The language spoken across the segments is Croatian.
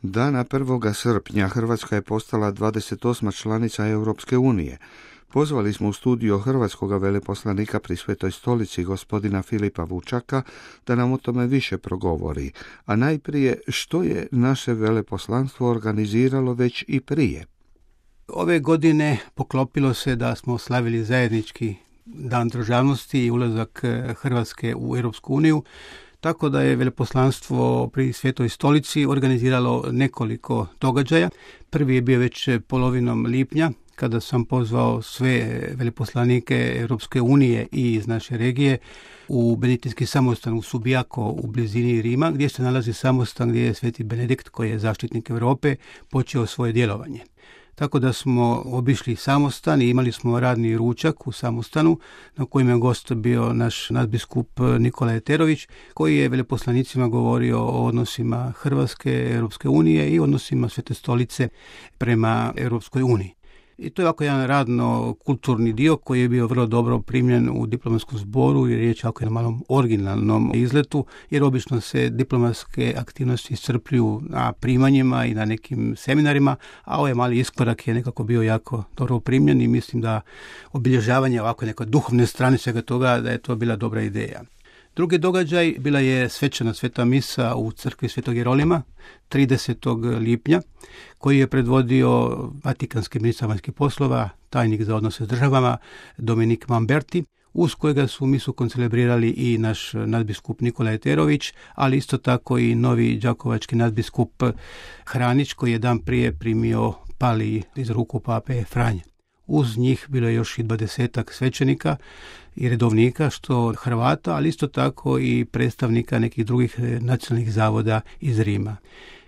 Dana 1. srpnja Hrvatska je postala 28. članica Europske unije. Pozvali smo u studio hrvatskog veleposlanika pri Svetoj stolici, gospodina Filipa Vučaka, da nam o tome više progovori. A najprije, što je naše veleposlanstvo organiziralo već i prije? Ove godine poklopilo se da smo slavili zajednički Dan državnosti i ulazak Hrvatske u Europsku uniju, tako da je veleposlanstvo pri Svetoj stolici organiziralo nekoliko događaja. Prvi je bio već polovinom lipnja, kada sam pozvao sve veleposlanike Europske unije i iz naše regije u Benediktinski samostan u Subiaco u blizini Rima, gdje se nalazi samostan gdje je Sveti Benedikt, koji je zaštitnik Europe, počeo svoje djelovanje. Tako da smo obišli samostan i imali smo radni ručak u samostanu na kojem je gost bio naš nadbiskup Nikola Eterović, koji je veleposlanicima govorio o odnosima Hrvatske, Europske unije i odnosima Svete stolice prema Europskoj uniji. I to je ovako jedan radno-kulturni dio koji je bio vrlo dobro primljen u diplomatskom zboru i riječ je o malom originalnom izletu, jer obično se diplomatske aktivnosti iscrpljuju na primanjima i na nekim seminarima, a ovaj mali iskorak je nekako bio jako dobro primljen i mislim da obilježavanje ovako neke duhovne strane svega toga, da je to bila dobra ideja. Drugi događaj bila je svečana sveta misa u crkvi Svetog Jerolima 30. lipnja, koji je predvodio vatikanski ministar vanjskih poslova, tajnik za odnose s državama Dominik Mamberti, uz kojega su misu koncelebrirali i naš nadbiskup Nikola Eterović, ali isto tako i novi đakovački nadbiskup Hranić, koji je dan prije primio pali iz ruku pape Franje. Uz njih bilo je još i 20 svećenika i redovnika, što Hrvata, ali isto tako i predstavnika nekih drugih nacionalnih zavoda iz Rima.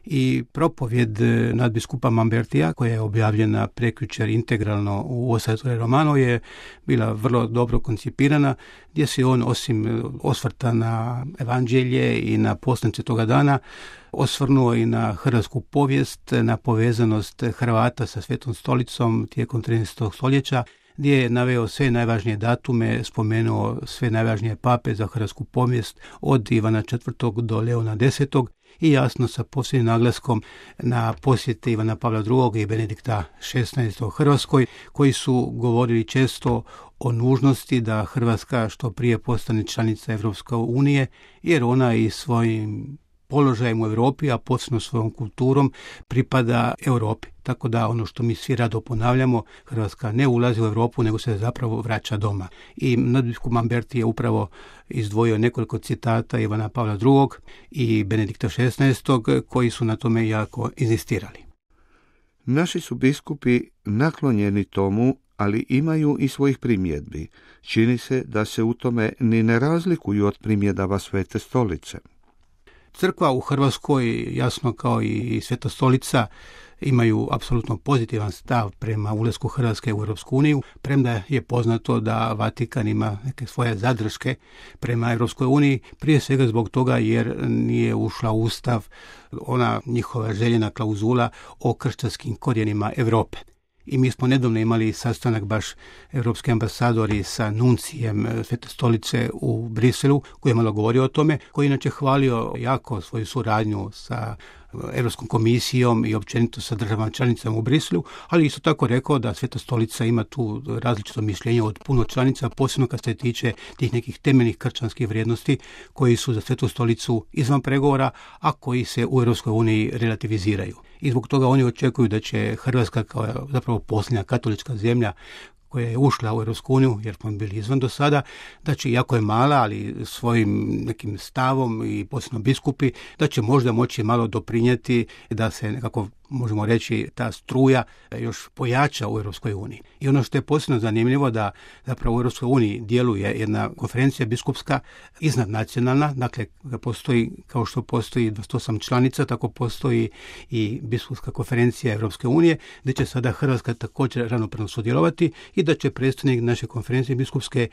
I propovjed nadbiskupa Mambertija, koja je objavljena prekjučer integralno u Osservatore Romano, je bila vrlo dobro koncipirana, gdje se on, osim osvrta na evanđelje i na poslanice toga dana, osvrnuo i na hrvatsku povijest, na povezanost Hrvata sa Svetom stolicom tijekom 13. stoljeća, gdje je naveo sve najvažnije datume, spomenuo sve najvažnije pape za hrvatsku povijest, od Ivana IV. Do Leona X. i jasno sa posebnim naglaskom na posjete Ivana Pavla II. I Benedikta XVI. Hrvatskoj, koji su govorili često o nužnosti da Hrvatska što prije postane članica Europske unije, jer ona i svojim položajem u Europi, a posebno svojom kulturom, pripada Europi. Tako da ono što mi svi rado ponavljamo, Hrvatska ne ulazi u Europu, nego se zapravo vraća doma. I nadbiskup Mamberti je upravo izdvojio nekoliko citata Ivana Pavla II. I Benedikta XVI. Koji su na tome jako inzistirali. Naši su biskupi naklonjeni tomu, ali imaju i svojih primjedbi. Čini se da se u tome ni ne razlikuju od primjedaba Svete stolice. Crkva u Hrvatskoj, jasno kao i Sveta stolica, imaju apsolutno pozitivan stav prema ulasku Hrvatske u Europsku uniju, premda je poznato da Vatikan ima neke svoje zadrške prema Europskoj uniji, prije svega zbog toga jer nije ušla u Ustav ona njihova željena klauzula o kršćanskim korijenima Europe. I mi smo nedavno imali sastanak baš europski ambasadori sa nuncijem Svete stolice u Briselu, koji je malo govorio o tome, koji je inače hvalio jako svoju suradnju sa Europskom komisijom i općenito sa državama članicama u Briselu, ali isto tako rekao da Sveta stolica ima tu različito mišljenje od puno članica, posebno kad se tiče tih nekih temeljnih kršćanskih vrijednosti koji su za Svetu stolicu izvan pregovora, a koji se u Europskoj uniji relativiziraju. I zbog toga oni očekuju da će Hrvatska kao zapravo posljednja katolička zemlja koja je ušla u Europsku uniju, jer smo bili izvan do sada, da će, iako je mala, ali svojim nekim stavom i posebno biskupi, da će možda moći malo doprinijeti da se nekako, možemo reći, ta struja još pojača u Europskoj uniji. I ono što je posebno zanimljivo da zapravo u Europskoj uniji djeluje jedna konferencija biskupska iznadnacionalna, dakle postoji, kao što postoji 28 članica, tako postoji i biskupska konferencija Europske unije, gdje će sada Hrvatska također ravnopravno sudjelovati i da će predstavnik naše konferencije biskupske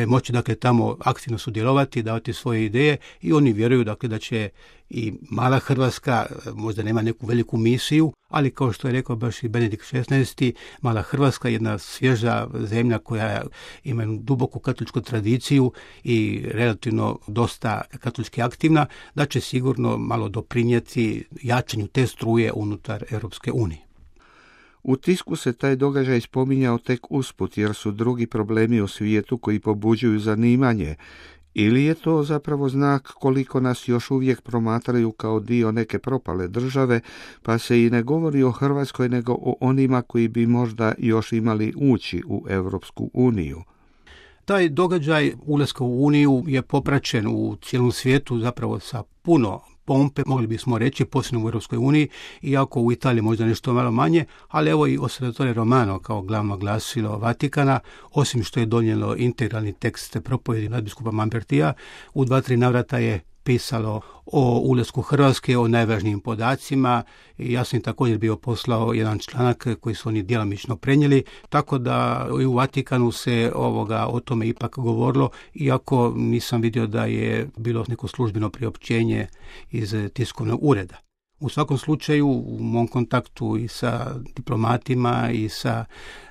moći dakle tamo aktivno sudjelovati, davati svoje ideje i oni vjeruju dakle da će i mala Hrvatska možda nema neku veliku misiju, ali kao što je rekao baš i Benedikt XVI, mala Hrvatska je jedna svježa zemlja koja ima jednu duboku katoličku tradiciju i relativno dosta katolički aktivna, da će sigurno malo doprinijeti jačanju te struje unutar Europske unije. U tisku se taj događaj spominjao tek usput, jer su drugi problemi u svijetu koji pobuđuju zanimanje. Ili je to zapravo znak koliko nas još uvijek promatraju kao dio neke propale države, pa se i ne govori o Hrvatskoj nego o onima koji bi možda još imali ući u Europsku uniju? Taj događaj ulaska u Uniju je popraćen u cijelom svijetu zapravo sa puno pompe, mogli bismo reći, posebno u Europskoj uniji, iako u Italiji možda nešto malo manje, ali evo i Osservatore Romano kao glavno glasilo Vatikana, osim što je donijelo integralni tekst propovjedi nadbiskupa Lambertija, u 2-3 navrata je pisalo o ulasku Hrvatske, o najvažnijim podacima i ja sam također bio poslao jedan članak koji su oni djelomično prenijeli, tako da i u Vatikanu se o tome ipak govorilo, iako nisam vidio da je bilo neko službeno priopćenje iz tiskovnog ureda. U svakom slučaju, u mom kontaktu i sa diplomatima i sa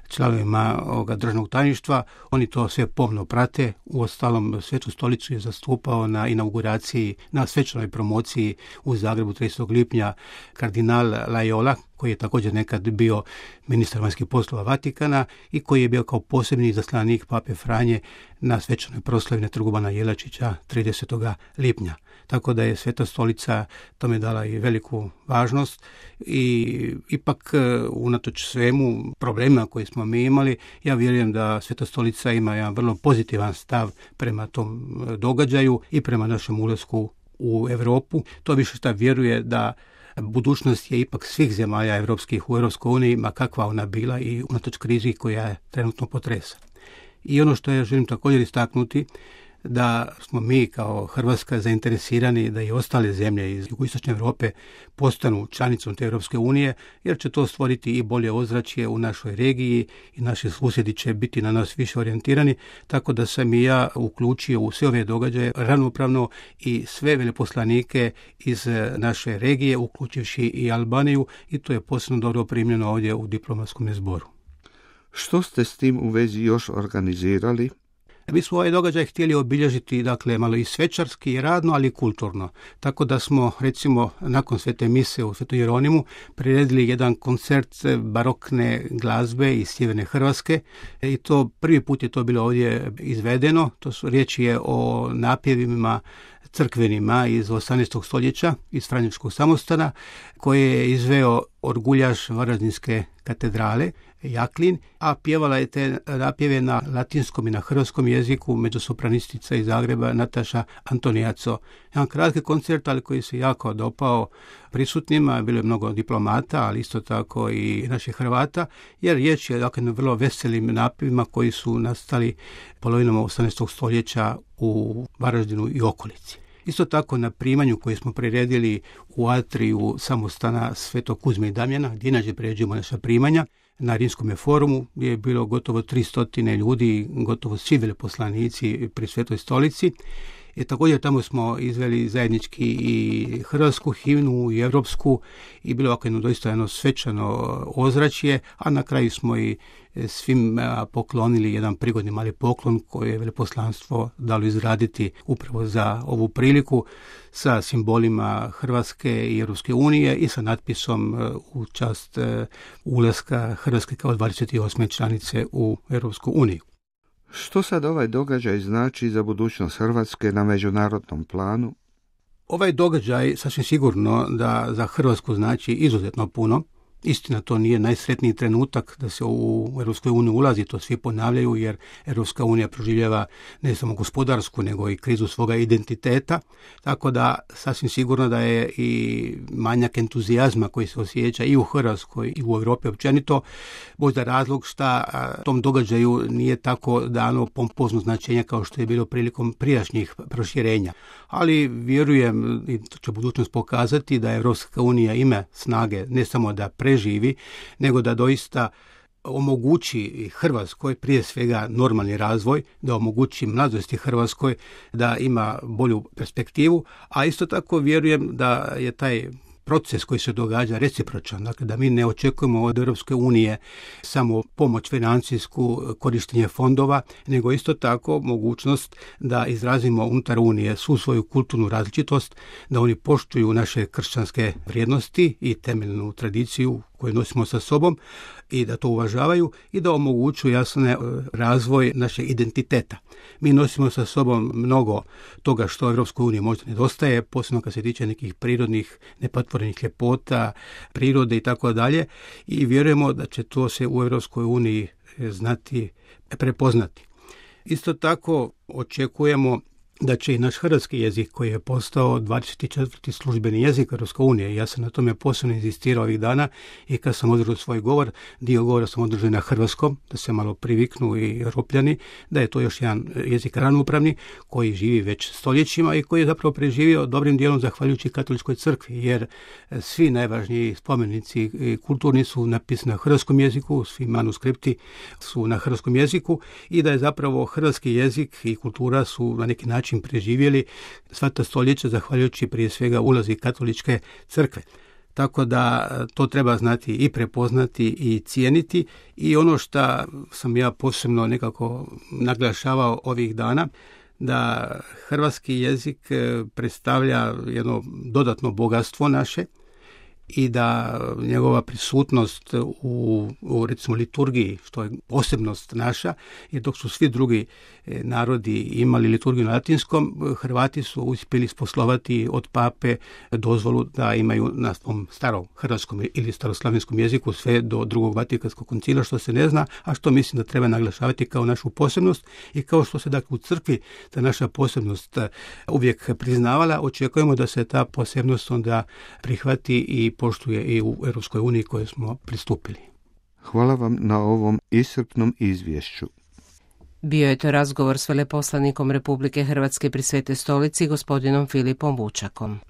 članovima državnog tajništva, oni to sve pomno prate. Uostalom, Svetu stolicu je zastupao na inauguraciji, na svečanoj promociji u Zagrebu 30. lipnja kardinal Loyola, koji je također nekad bio ministar vanjskih poslova Vatikana i koji je bio kao posebni izaslanik Pape Franje na svečanoj proslavi na Trgu Bana Jelačića 30. lipnja. Tako da je Sveta stolica tome dala i veliku važnost i ipak unatoč svemu problemima koje smo mi imali, ja vjerujem da Sveta stolica ima jedan vrlo pozitivan stav prema tom događaju i prema našem ulasku u Europu. To više šta vjeruje da budućnost je ipak svih zemalja europskih u Europskoj uniji, ma kakva ona bila i unatoč krizi koja je trenutno potresa. I ono što ja želim također istaknuti, da smo mi kao Hrvatska zainteresirani da i ostale zemlje iz jugoistočne Europe postanu članicom te Europske unije, jer će to stvoriti i bolje ozračje u našoj regiji i naši susjedi će biti na nas više orijentirani, tako da sam i ja uključio u sve ove događaje ravnopravno i sve veleposlanike iz naše regije, uključivši i Albaniju, i to je posebno dobro primljeno ovdje u diplomatskom zboru. Što ste s tim u vezi još organizirali? Mi smo ovaj događaj htjeli obilježiti, dakle, malo i svečarski i radno, ali i kulturno. Tako da smo, recimo, nakon svete mise u Svetom Jeronimu priredili jedan koncert barokne glazbe iz sjeverne Hrvatske i to prvi put je to bilo ovdje izvedeno. Riječ je o napjevima crkvenima iz 18. stoljeća, iz Franjevačkog samostana, koje je izveo orguljaš Varaždinske katedrale, Jaklin, a pjevala je te napjeve na latinskom i na hrvatskom jeziku mezzosopranistica iz Zagreba Nataša Antonijaco. Jedan kratki koncert, ali koji se jako dopao prisutnima, bilo je mnogo diplomata, ali isto tako i naših Hrvata, jer riječ je dakle na vrlo veselim napjevima koji su nastali polovinom 18. stoljeća u Varaždinu i okolici. Isto tako na primanju koje smo priredili u atriju samostana Svetog Kuzme i Damjana, gdje inače priređujemo naša primanja, na Rimskom forumu je bilo gotovo 300 ljudi, gotovo svi veleposlanici pri Svetoj stolici. I također tamo smo izveli zajednički i hrvatsku himnu i europsku i bilo ovako doista jedno svečano ozračje, a na kraju smo i svim poklonili jedan prigodni mali poklon koji je veleposlanstvo dalo izraditi upravo za ovu priliku sa simbolima Hrvatske i Europske unije i sa natpisom u čast ulaska Hrvatske kao 28. članice u Europsku uniju. Što sad ovaj događaj znači za budućnost Hrvatske na međunarodnom planu? Ovaj događaj sasvim sigurno da za Hrvatsku znači izuzetno puno. Istina, to nije najsretniji trenutak da se u Europskoj uniji ulazi, to svi ponavljaju, jer Europska unija proživljava ne samo gospodarsku, nego i krizu svoga identiteta, tako da sasvim sigurno da je i manjak entuzijazma koji se osjeća i u Hrvatskoj i u Europi općenito, možda razlog šta tom događaju nije tako dano pompozno značenje kao što je bilo prilikom prijašnjih proširenja. Ali vjerujem, i to će budućnost pokazati, da Europska unija ima snage ne samo da preživi, nego da doista omogući Hrvatskoj prije svega normalni razvoj, da omogući mladosti Hrvatskoj da ima bolju perspektivu, a isto tako vjerujem da je taj proces koji se događa recipročan, dakle da mi ne očekujemo od Europske unije samo pomoć financijsku, korištenje fondova, nego isto tako mogućnost da izrazimo unutar Unije svu svoju kulturnu različitost, da oni poštuju naše kršćanske vrijednosti i temeljnu tradiciju koju nosimo sa sobom i da to uvažavaju i da omogućuju jasne razvoj našeg identiteta. Mi nosimo sa sobom mnogo toga što Europskoj uniji možda nedostaje, posebno kad se tiče nekih prirodnih, nepatvorenih ljepota, prirode i tako dalje, i vjerujemo da će to se u Europskoj uniji znati prepoznati. Isto tako očekujemo da će i naš hrvatski jezik, koji je postao 24. službeni jezik Europske unije, ja sam na tome posebno inzistirao ovih dana i kad sam održao svoj govor, dio govora sam održao na hrvatskom, da se malo priviknu i Europljani, da je to još jedan jezik ravnopravni koji živi već stoljećima i koji je zapravo preživio dobrim dijelom zahvaljujući katoličkoj crkvi, jer svi najvažniji spomenici kulturni su napisani na hrvatskom jeziku, svi manuskripti su na hrvatskom jeziku i da je zapravo hrvatski jezik i kultura su na neki način preživjeli sva ta stoljeća zahvaljujući prije svega ulazi katoličke crkve. Tako da to treba znati i prepoznati i cijeniti, i ono što sam ja posebno nekako naglašavao ovih dana, da hrvatski jezik predstavlja jedno dodatno bogatstvo naše i da njegova prisutnost u recimo liturgiji, što je posebnost naša, jer dok su svi drugi narodi imali liturgiju na latinskom, Hrvati su uspjeli sposlovati od pape dozvolu da imaju na svom starom hrvatskom ili staroslavenskom jeziku sve do drugog Vatikanskog koncila, što se ne zna, a što mislim da treba naglašavati kao našu posebnost, i kao što se dakle u crkvi ta naša posebnost uvijek priznavala, očekujemo da se ta posebnost onda prihvati i poštuje i u Europskoj uniji kojoj smo pristupili. Hvala vam na ovom iscrpnom izvješću. Bio je to razgovor s veleposlanikom Republike Hrvatske pri Svetoj stolici, gospodinom Filipom Vučakom.